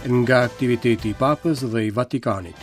Nga aktiviteti i Papës dhe i Vatikanit.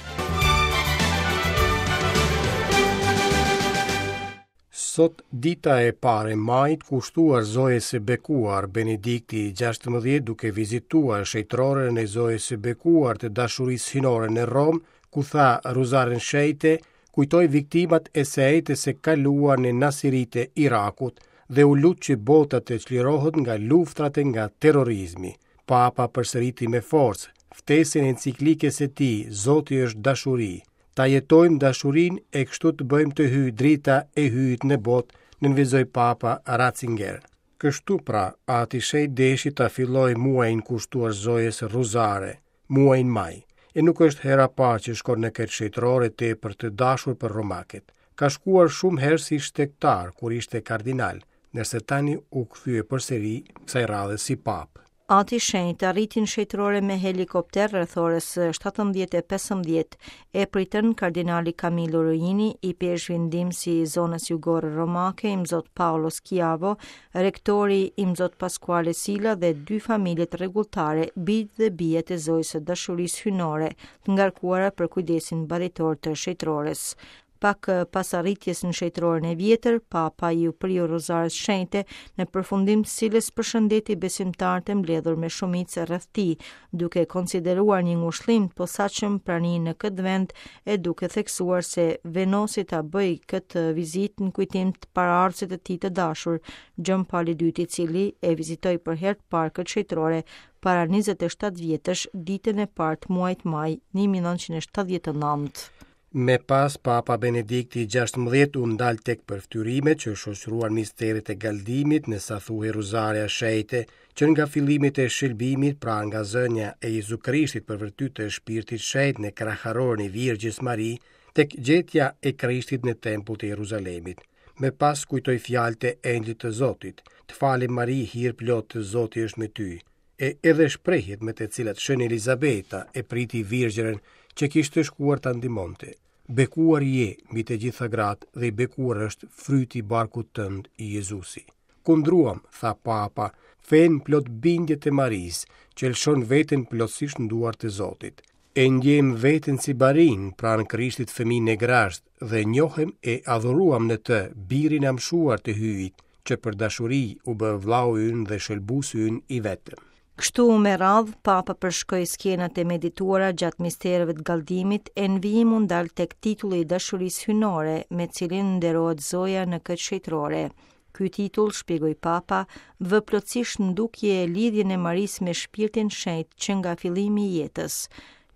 Sot dita e parë e majit kushtuar Zojës së Bekuar, Benedikti i 16 duke vizituar shenjtëroren e Zojës së Bekuar të Dashurisë Hyjnore në Romë, ku tha Rruzarin Shenjtë, kujtoi viktimat e së enjtes së kaluar në Nasiri të Irakut dhe u lut që bota të çlirohet nga luftrat e nga terrorizmi. Papa përsëriti me forcë ftesën e enciklikës së tij Zoti është dashuri. Ta jetojmë dashurinë e kështu të bëjmë të hyjë drita e Hyjit në botë, nënvizoi Papa Ratzinger. Kështu pra, Ati i Shenjtë deshi ta fillojë muajin kushtuar Zojës Rruzare, muajin maj, e nuk është hera e parë që shkon në këtë shenjtërore tepër të dashur për romakët. Ka shkuar shumë herë si shtegtar kur ishte kardinal, ndërsa tani u kthye përsëri kësaj radhe si papë. Ati i Shenjtë arriti në shenjtërore me helikopter rreth orës 17:15. E pritën kardinali Camillo Ruini, ipeshkvi ndihmës i zonës jugore romake, Imzot Paolo Schiavo, Rektori Imzot Pasquale Sila dhe dy familjet rregulltare, bijtë dhe bijat e Zojës së Dashurisë Hyjnore, të ngarkuara për kujdesin baritor të shenjtërores. Pak pas arritjes në shenjtëroren e vjetër, Papa iu priu Rruzares Shenjte, në përfundim të cilës përshëndeti besimtarët e mbledhur me shumicë rreth tij, duke konsideruar një ngushëllim të posaçëm praninë në këtë vend e duke theksuar se vendosi ta bëjë këtë vizitë në kujtim të paraardhësit të tij të dashur, Gjon Pali II, i cili e vizitoi për herë të parë këtë shenjtërore para 27 vjetësh, ditën e parë të muajit maj 1979. Më pas, Papa Benedikti i 16 u ndal tek përfytyrimet që shoqëruan misteret e galdimit në sa thuhej Rruzarja e Shenjtë, që nga fillimet e shëlbimit, pra nga zënia e Jezu Krishtit për virtyt të Shpirtit Shenjt në kraharorin e Virgjës Mari, tek gjetja e Krishtit në tempull të Jeruzalemit. Më pas kujtoi fjalët e Engjëllit të Zotit, të falem Mari hirplotë Zoti është me ty. e edhe shprehjet me të cilat Shën Elizabeta e priti virgjërën që kishte shkuar ta ndihmonte. Bekuar je mbi të gjitha gratë dhe i bekuar është fryti i barkut tënd, Jezusi. Kundruam, tha Papa, fenë plot bindje të Marisë, që lëshon veten plotësisht në duart e Zotit. E ndjemë veten si barinj pranë Krishtit fëmijë në grazhd dhe njohëm e adhuruam në të birin e amshuar të Hyjit, që për dashuri u bë vllau ynë dhe shëlbuesi ynë i vetëm. Kështu me radhë, Papa përshkoi skenat e medituara gjatë mistereve të galdimit e në vijim u ndal tek titulli i dashurisë hyjnore me cilin nderohet Zoja në këtë shenjtërore. Ky titull, shpjegoi Papa, vë plotësisht në dukje lidhjen e Marisë me Shpirtin Shenjt që nga fillimi i jetës.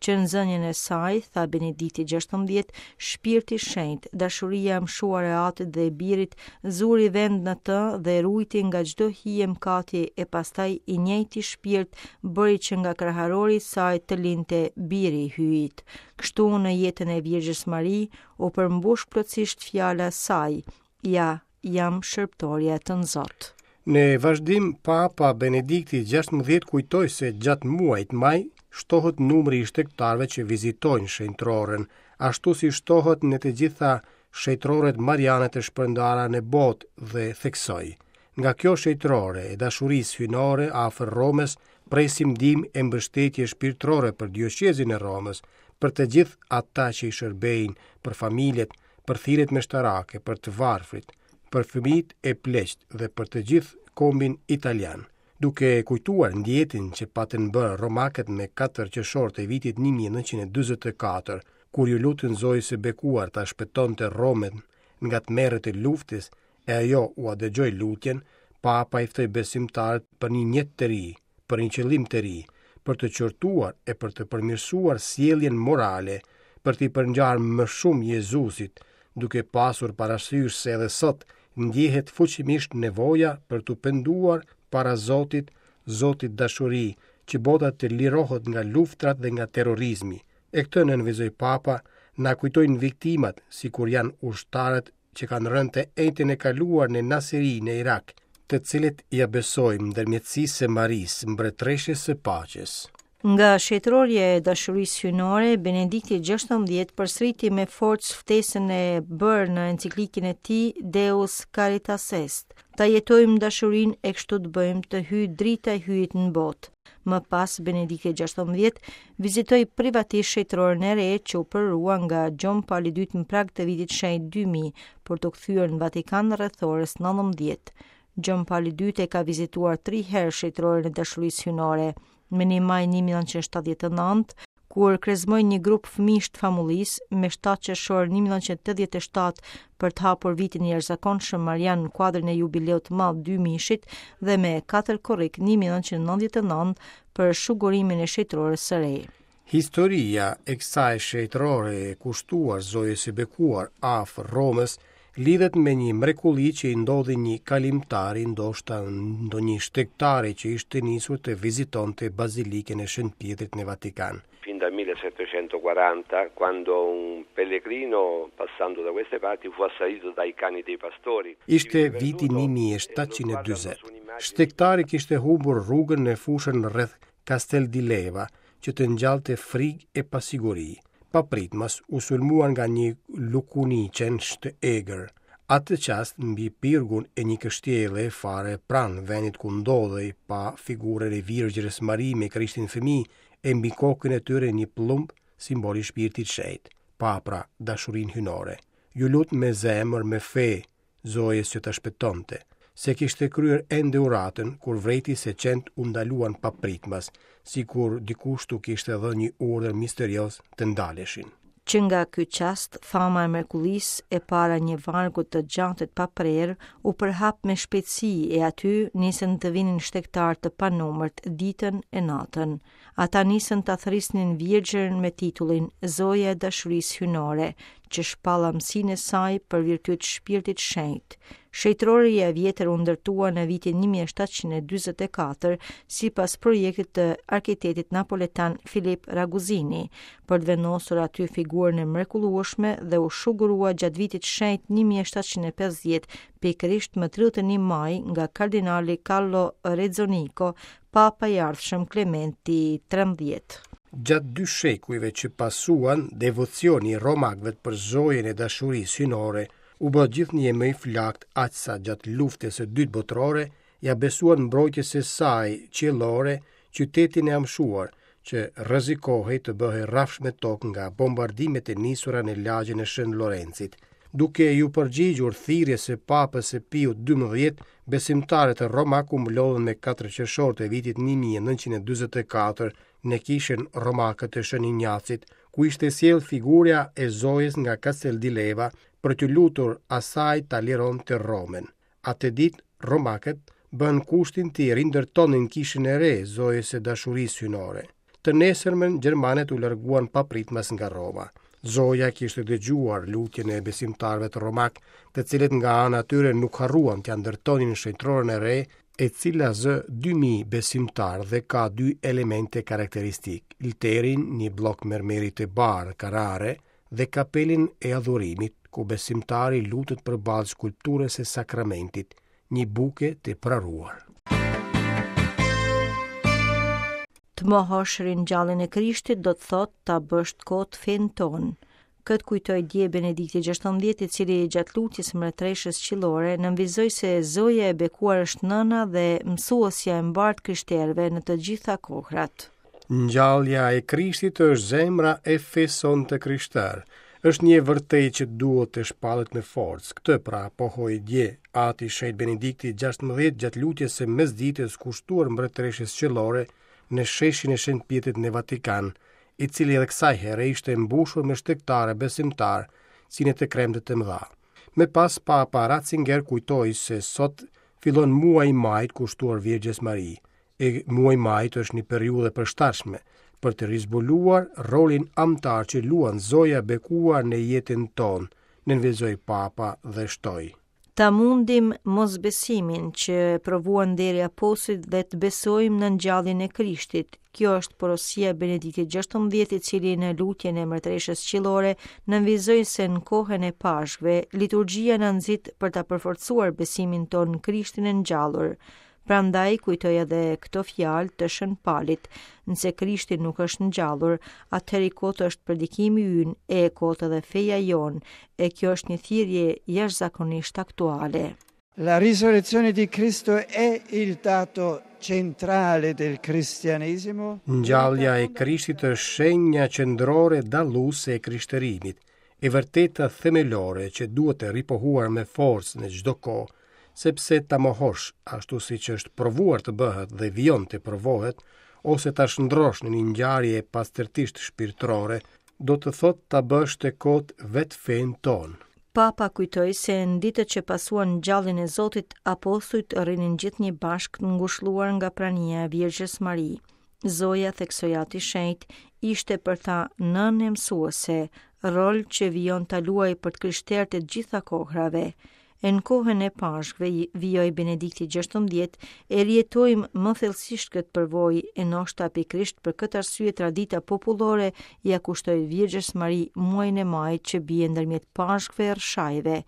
Që në zënien e saj, tha Benedikti 16, Shpirti Shenjt, dashuria e amshuar e Atit dhe e Birit, zuri vend në të dhe e ruajti nga çdo hije mëkati e pastaj i njëjti shpirt bëri që nga kraharori i saj të lindte Biri i Hyjit. Kështu në jetën e Virgjës Mari u përmbush plotësisht fjala e saj, Ja, jam shërbëtorja e Tënzot. Në vazhdim, Papa Benedikti 16 kujtoi se gjatë muajit maj shtohet numri i shtegtarëve që vizitojnë shenjtëroren, ashtu si shtohet në të gjitha shenjtëroret mariane të shpërndara në botë dhe theksoi, Nga kjo shenjtërore e dashurisë hyjnore afër Romës presim ndihmë e mbështetje shpirtërore për dioqezën e Romës, për të gjithë ata që i shërbejnë, për familjet, për thirrjet meshtarake, për të varfrit, për fëmijët e pleqtë dhe për të gjithë kombin italian, duke kujtuar ndjetjen që patën bërë romakët me 4 qershor të vitit 1944, kur iu lutën Zojës së Bekuar ta shpëtonte Romën nga tmerret e luftës, e ajo ua dëgjoi lutjen, Papa i ftoi besimtarët për një njet të ri, për një qëllim të ri, për të qortuar e për të përmirësuar sjelljen morale, për t'i përngjarë më shumë Jezusit, duke pasur parasysh se edhe sot ndjehet fuqimisht nevoja për t'u penduar para Zotit, Zotit dashuri, që bota të lirohet nga luftrat dhe nga terrorizmi. E këtë nënvizoi Papa, na kujtojnë viktimat, sikur janë ushtarët që kanë rënë të enjten e kaluar në Nasiri në Irak, të cilët ia besojmë ndërmjetësisë së Marisë, mbretëreshës së paqes. Nga shenjtërorja e dashurisë hyjnore, Benedikti XVI përsëriti me forcë ftesën e bërë në enciklikën e tij Deus Caritas Est, ta jetojmë dashurinë e kështu të bëjmë të hyjë drita e Hyjit në botë. Më pas, Benedikti XVI vizitoi privatisht shenjtëroren e re që u përurua nga Gjon Pali II në prag të vitit shenjt 2000 për t'u kthyer në Vatikan rreth orës 19. Gjon Pali II e ka vizituar tri herë shenjtëroren e dashurisë hyjnore, më 1 maj 1979, kur krezmoi një grup fëmijësh të famullisë, me 7 qershor 1987 për të hapur vitin e jashtëzakonshëm Marian në kuadrin e jubileut të madh 2000-shit dhe me 4 korrik 1999 për shugurimin e shenjtërores së re. Historia e kësaj shenjtërore e kushtuar Zojës së Bekuar afër Romës lidhet me një mrekulli që i ndodhi një kalimtari, ndoshta ndonjë shtegtari që ishte nisur të vizitonte Bazilikën e Shën Pjetrit në Vatikan. Fin dal 1740, quando un pellegrino passando da queste parti fu assalito dai cani dei pastori. Ishte viti 1740. Shtegtari kishte humbur rrugën në fushën rreth Castel di Leva, që të ngjallte frikë e pasiguri. Papritmas u sulmua nga një lukuni qensh të egër. Atë çast mbi pirgun e një kështjelle fare pranë vendit ku ndodhej pa figurën e Virgjërës Mari me Krishtin fëmijë e mbi kokën e tyre një pëllumb simbol i shpirtit shenjt. Pa pra dashurinë hyjnore. Iu lut me zemër, me fe, Zojës që ta shpëtonte. S'e kishte kryer ende uratën, kur vërejti se qentë u ndaluan papritmas, sikur dikush t'u kishte dhënë një urdhër misterioz të ndaleshin. Që nga ky çast, fama e mrekullisë e para një vargu të gjatë e të paprerë u përhap me shpejtësi e aty nisën të vinin shtegtarë të panumërt ditën e natën. Ata nisën ta thërrisnin Virgjërën me titullin Zoja e Dashurisë Hyjnore, që shpall amësinë e saj për virtyt Shpirtit Shenjt. Shenjtërorja e vjetër u ndërtua në vitin 1744 sipas projektit të arkitektit napoletan Filip Raguzini, për të vendosur aty figurën e mrekullueshme dhe u shugurua gjatë vitit shenjt 1750, pikërisht më 31 maj nga kardinali Carlo Rezzonico, Papa i ardhshëm Klementi 13. Gjatë dy shekujve që pasuan, devocioni i romakëve për Zojën e Dashurisë Hyjnore u bë gjithnjë e më i flaktë aq sa gjatë Luftës së Dytë Botërore ia besuan mbrojtjes së saj qiellore qytetin e amshuar, që rrezikohej të bëhej rrafsh me tokë nga bombardimet e nisura në lagjen e Shën Lorencit. Duke iu përgjigjur thirrjes së Papës së Piut XII, besimtarët romakë u mblodhën me 4 qershor të vitit 1944 në kishën romake të Shën Injacit, ku ishte sjellë figura e Zojës nga Castel di Leva për t'iu lutur asaj ta lironte Romën. Atë ditë, romakët bënë kushtin t'i rindërtonin kishën e re Zojës së Dashurisë Hyjnore. Të nesërmen, gjermanët u larguan papritmas nga Roma. Zoja kishte dëgjuar lutjen e besimtarëve të romakë, të cilët nga ana e tyre nuk harruan t'ia ndërtonin shenjtëroren e re, e cila zë 2000 besimtarë dhe ka dy elemente karakteristikë, lterin, një bllok mermeri të bardhë karare, dhe kapelin e adhurimit, ku besimtari lutet përballë skulpturës së sakramentit, një buke të praruar. Të mohosh ringjalljen e Krishtit do të thotë ta bësh të kotë fenë tonë. Këtë kujtoi dje Benedikti XVI, i cili gjatë lutjes së Mbretëreshës Qiellore nënvizoi se Zoja e bekuar është nëna dhe mësuesja e mbarë të krishterëve në të gjitha kohërat. Ngjallja e Krishtit është zemra e fesë sonë të krishterë. Është një e vërtetë që duhet të shpallet me forcë. Këtë pra pohoi dje Ati i Shenjtë Benedikti XVI gjatë lutjes së mesditës kushtuar Mbretëreshës Qiellore në sheshin e Shën Pjetrit në Vatikan, i cili edhe kësaj here ishte mbushur me shtegtarë e besimtarë si në të kremte të mëdha. Më pas Papa Ratzinger kujtoi se sot fillon muaji i majit kushtuar Virgjës Mari. E muaji i majit është një periudhë e përshtatshme për të rizbuluar rolin amtar që luan Zoja e bekuar në jetën tonë, nënvizoi Papa dhe shtoi. Ta mundim mosbesimin që provuan deri apostujt dhe të besojmë në ngjalljen e Krishtit. Kjo është porosia e Benediktit XVI, i cili në lutjen e Mbretëreshës Qiellore nënvizoi se në kohën e Pashkëve, liturgjia na nxit për ta përforcuar besimin tonë në Krishtin e ngjallur. Prandaj kujtoi edhe këto fjalë të Shën Palit, nëse Krishti nuk është ngjallur, atëherë i kotë është predikimi ynë e e kotë edhe feja jonë, e kjo është një thirrje jashtëzakonisht aktuale. La risurrezione di Cristo è il dato centrale del cristianesimo. Ngjallja e Krishtit është shenja qendrore dalluese e krishterimit, e vërteta themelore që duhet ripohuar me forcë në çdo kohë, sepse ta mohosh ashtu siç është provuar të bëhet dhe vijon të provohet, ose ta shndërrosh në një ngjarje pastërtisht shpirtërore, do të thotë ta bësh të kotë vetë fenë tonë. Papa kujtoi se në ditët që pasuan ngjalljen e Zotit, apostujt rrinin gjithnjë bashkë të ngushëlluar nga prania e Virgjës Mari. Zoja, theksoi Ati i Shenjtë, ishte për ta nënë e mësuese, rol që vijon ta luajë për të krishterët e të gjitha kohërave. E në kohën e Pashkëve, vijoi Benedikti XVI, e rijetojmë më thellësisht këtë përvojë e ndoshta pikërisht për këtë arsye tradita popullore ia kushtoi Virgjës Mari muajin e majit që bie ndërmjet Pashkëve e Rrëshajve.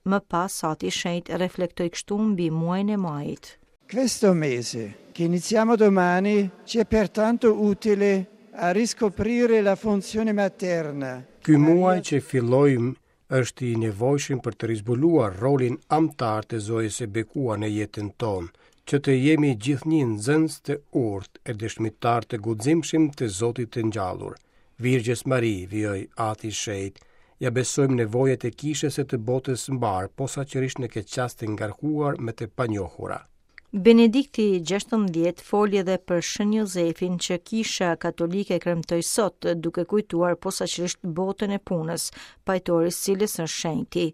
Më pas Ati i Shenjtë reflektoi kështu mbi muajin e majit. Questo mese, che iniziamo domani, ci è pertanto utile a riscoprire la funzione materna. Ky muaj që fillojmë është i nevojshëm për të rizbuluar rolin amtar të Zojës së Bekuar në jetën tonë, që të jemi gjithnjë nxënës të urtë e dëshmitarë të guximshëm të Zotit të ngjallur. Virgjës Mari, vijoi Ati i Shenjtë, ia besojmë nevojat e kishës e të botës mbarë, posaçërisht në këtë çast të ngarkuar me të panjohura. Benedikti XVI foli edhe për Shën Jozefin që Kisha Katolike kremtoi sot, duke kujtuar posaçërisht botën e punës, pajtor i së cilës është shenjti.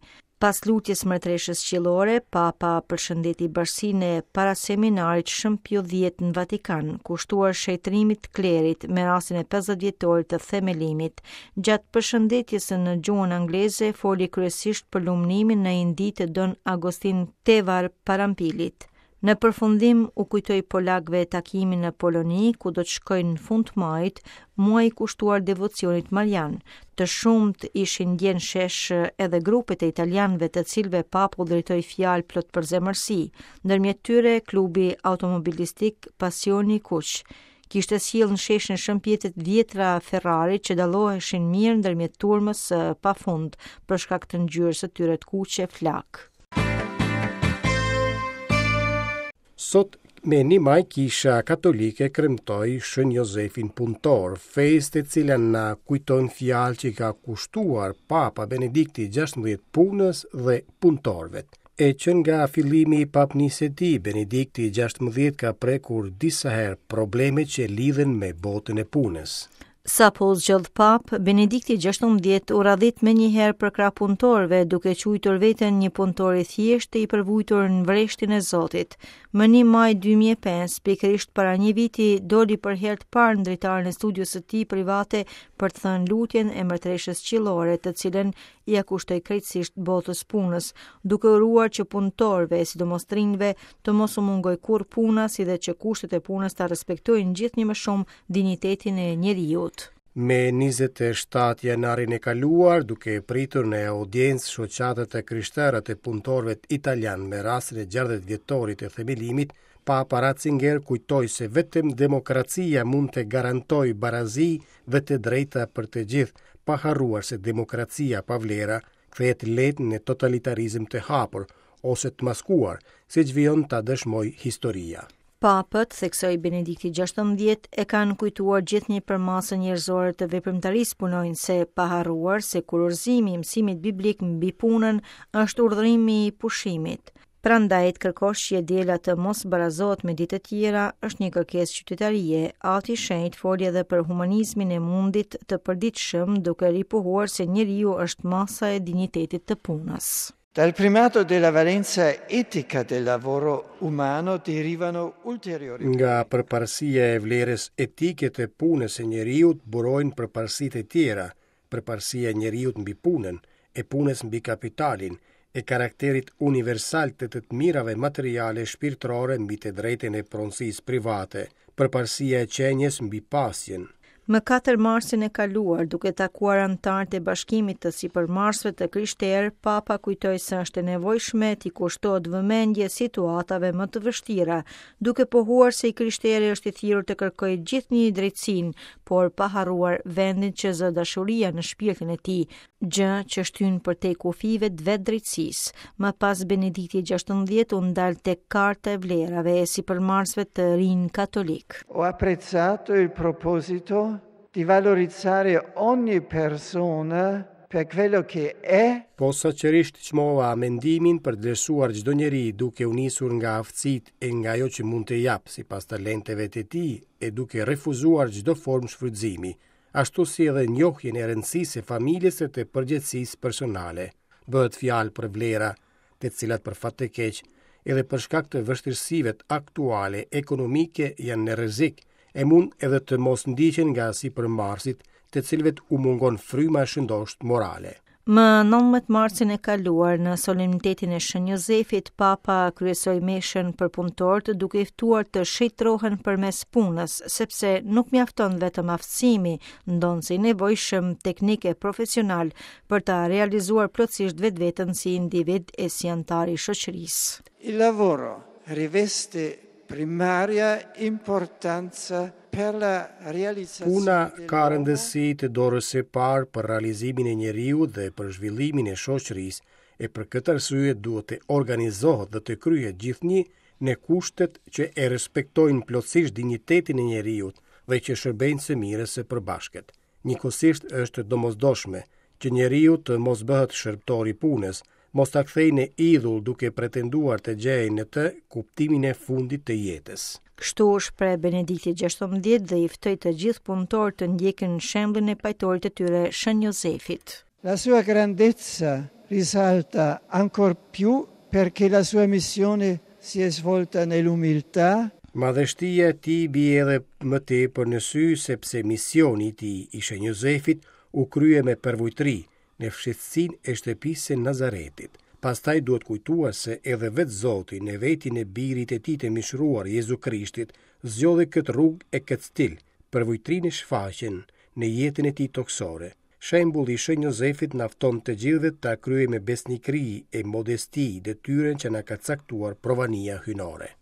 Pas lutjes Mbretëreshës Qiellore, Papa përshëndeti bashkësinë e paraseminarit Shën Pio X në Vatikan, kushtuar shenjtërimit të klerit me rastin e 50 vjetorit të themelimit. Gjatë përshëndetjes në gjuhën angleze, foli kryesisht për lumnimin në Indi të Don Agostin Tevar Parampilit. Në përfundim u kujtoi polakëve takimin në Poloni, ku do të shkojnë në fund të majit, muaj i kushtuar devocionit marian. Të shumtë ishin dje në shesh edhe grupet e italianëve të cilëve Papa u drejtoi fjalë plot përzemërsi. Ndërmjet tyre klubi automobilistik Pasioni i Kuq kishte sjellë në sheshin Shën Pjetrit dhjetra Ferrari që dalloheshin mirë ndërmjet turmës së pafund për shkak të ngjyrës së tyre të kuqe flakë. Sot me 1 maj kisha katolike kremtoi Shën Jozefin Punëtor, festë e cila na kujton fjalë që i ka kushtuar Papa Benedikti XVI punës dhe punëtorëve. E që nga fillimi i papnisë së tij, Benedikti XVI ka prekur disa herë probleme që lidhen me botën e punës. Sapo u zgjodh papë, Benedikti XVI u radhit menjëherë përkrah punëtorëve, duke quajtur veten një punëtor i thjeshtë e i përvujtur në vreshtin e Zotit. Më 1 maj 2005, pikërisht para një viti, doli për herë të parë në dritaren e studios së tij private për të thënë lutjen e Mbretëreshës Qiellore, të cilën ia kushtoi krejtësisht botës punës, duke uruar që punëtorëve, sidomos të rinjve, të mos u mungojë kurrë puna, si dhe që kushtet e punës ta respektojnë gjithnjë më shumë dinjitetin e njeriut. Me 27 janarin e kaluar, duke pritur në audiencë shoqatat e krishtera të punëtorëve italianë me rastin e 60 vjetorit të themelimit, Papa Ratzinger kujtoi se vetëm demokracia mund të garantojë barazi dhe të drejta për të gjithë, pa harruar se demokracia pa vlera kthehet lehtë në totalitarizëm të hapur ose të maskuar, siç vijon ta dëshmojë historia. Papët, theksoi Benedikti XVI, e kanë kujtuar gjithnjë përmasën njerëzore të veprimtarisë punonjëse, pa harruar se kurorëzimi i mësimit biblik mbi punën është urdhërimi i pushimit. Prandaj të kërkosh që e diela të mos barazohet me ditët e tjera është një kërkesë qytetarie. Ati i Shenjtë foli edhe për humanizmin e mundit të përditshëm, duke ripohuar se njeriu është masa e dinjitetit të punës. Dal primato della valenza etica del lavoro umano derivano ulteriori. Nga përparësia e vlerës etike të punës së njeriut burojnë përparësitë e tjera, përparësia e njeriut mbi punën, e punës mbi kapitalin, e karakterit universal të të mirave materiale shpirtërore mbi të drejtën e pronësisë private, përparësia e qenies mbi pasjen. Më 4 marsin e kaluar, duke takuar anëtarët e Bashkimit të Sipërmarrësve të Krishterë, Papa kujtoi se është e nevojshme t'i kushtohet vëmendje situatave më të vështira, duke pohuar se i krishteri është i thirrur të kërkojë gjithnjë drejtësinë, por pa harruar vendin që zë dashuria në shpirtin e tij, gjë që shtyn përtej kufijve të vetë drejtësisë. Më pas Benedikti XVI u ndal tek karta e vlerave e sipërmarrësve të rinj katolikë. Ho apprezzato il proposito di valorizzare ogni persona per quello che è. Posaçërisht çmova mendimin për të vlerësuar çdo njeri duke u nisur nga aftësitë e nga ajo që mund të japë sipas talenteve të tij e duke refuzuar çdo formë shfrytëzimi, ashtu si edhe njohjen e rëndësisë së familjes e të përgjegjësisë personale. Bëhet fjalë për vlera, të cilat për fat të keq, edhe për shkak të vështirësive aktuale ekonomike janë në rrezik e mund edhe të mos ndiqen nga sipërmarrësit, të cilëve u mungon fryma e shëndoshë morale. Më 19 marsin e kaluar, në solemnitetin e Shën Jozefit, Papa kryesoi meshën për punëtorët duke i ftuar të shenjtërohen përmes punës, sepse nuk mjafton vetëm aftësimi, ndonëse i nevojshëm teknik e profesional për ta realizuar plotësisht vetveten si individ e si anëtar i shoqërisë. Il lavoro riveste primaria importanza per la realizzazione Puna ka rëndësi të dorës së parë për realizimin e njeriut dhe për zhvillimin e shoqërisë, e për këtë arsye duhet të organizohet dhe të kryhet gjithnjë në kushtet që e respektojnë plotësisht dinjitetin e njeriut dhe që shërbejnë së mirës së përbashkët. Njëkohësisht është e domosdoshme që njeriu të mos bëhet shërbëtor i punës, mos ta kthejë në idhull duke pretenduar të gjejë në të kuptimin e fundit të jetës. Kështu u shpreh Benedikti XVI dhe i ftoi të gjithë punëtorët të ndjekin shembullin e pajtorit të tyre Shën Jozefit. La sua grandezza risalta ancor più perché la sua missione si è svolta nell'umiltà. Madhështia e tij bie edhe më tepër në sy sepse misioni i tij, i Shën Jozefit, u krye me përvujtëri, në fshehtësinë e shtëpisë së Nazaretit. Pastaj duhet kujtuar se edhe vetë Zoti, në vetinë e Birit të tij të mishëruar, Jezu Krishtit, zgjodhi këtë rrugë e këtë stil, përvujtërinë e shfaqjen, në jetën e tij tokësore. Shembulli i Shën Jozefit na fton të gjithëve ta kryejmë me besnikëri e modesti detyrën që na ka caktuar provania hyjnore.